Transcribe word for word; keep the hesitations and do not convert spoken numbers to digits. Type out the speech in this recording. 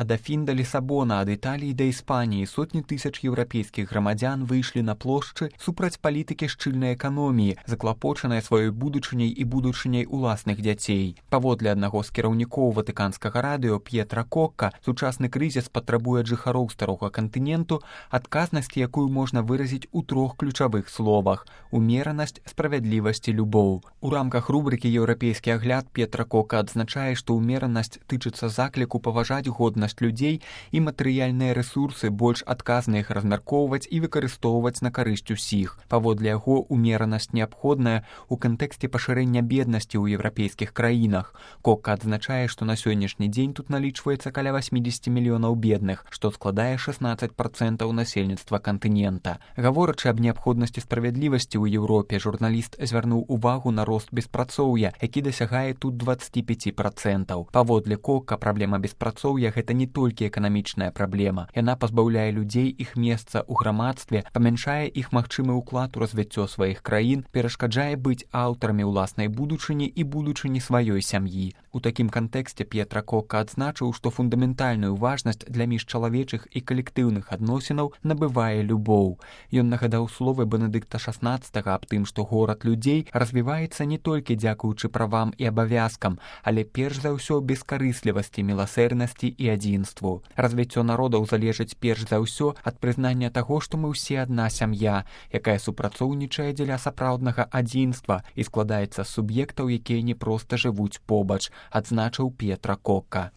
Ад Афін да Лісабона, ад Італіі да Іспаніі сотні тысяч еўрапейскіх грамадзян выйшлі на плошчы супраць палітыкі шчыльнай эканоміі, заклапочанай сваёй будучыняй і будучыняй уласных дзяцей. Паводле аднаго з кіраўнікоў ватыканскага радыё П'етра Кокка, сучасны крызіс патрабуе ад жыхароў старога кантыненту адказнасці, якую можна выразіць у трох ключавых словах: умеранасць, справядлівасць і любоў. У рамках рубрыкі «Еўрапейскі агляд» П'етра Кокка адзначае, што умеранасць тычыцца закліку паважаць годнасць людзей і матэрыяльныя рэсурсы больш адказна іх размяркоўваць і выкарыстоўваць на карысць усіх. Паводле яго, умеранасць неабходная ў кантэксце пашырэння беднасці ў еўрапейскіх краінах. Кокка адзначае, што на сённяшні дзень тут налічваецца каля васьмідзесят мільёнаў бедных, што складае шаснаццаць працэнтаў насельніцтва кантынента. Гаворачы аб неабходнасці справядлівасці ў Еўропе, журналіст звярнуў увагу на рост беспрацоўя, які дасягае тут дваццаць пяць працэнтаў. Паводле Кокка, праблема беспрацоўя – гэта не толькі эканамічная праблема. Яна пазбаўляе людзей іх месца ў грамадстве, памяншае іх магчымы ўклад у развіццё сваіх краін, перашкаджае быць аўтарамі ўласнай будучыні і будучыні сваёй сям'і. У такім кантэксце П'етра Кокка адзначыў, што фундаментальную важнасць для міжчалавечых і калектыўных адносінаў набывае любоў. Ён нагадаў словы Бенедыкта шаснаццатага аб тым, што горад людзей развіваецца не толькі дзякуючы правам і абавязкам, але перш за ўсё бескарыслівасці, міласэрнасці і адзінству. Развіццё народаў залежыць перш за ўсё ад прызнання таго, што мы ўсе адна сям'я, якая супрацоўнічае дзеля сапраўднага адзінства і складаецца з суб'ектаў, якія не проста жывуць побач, адзначыў П'етра Кокка.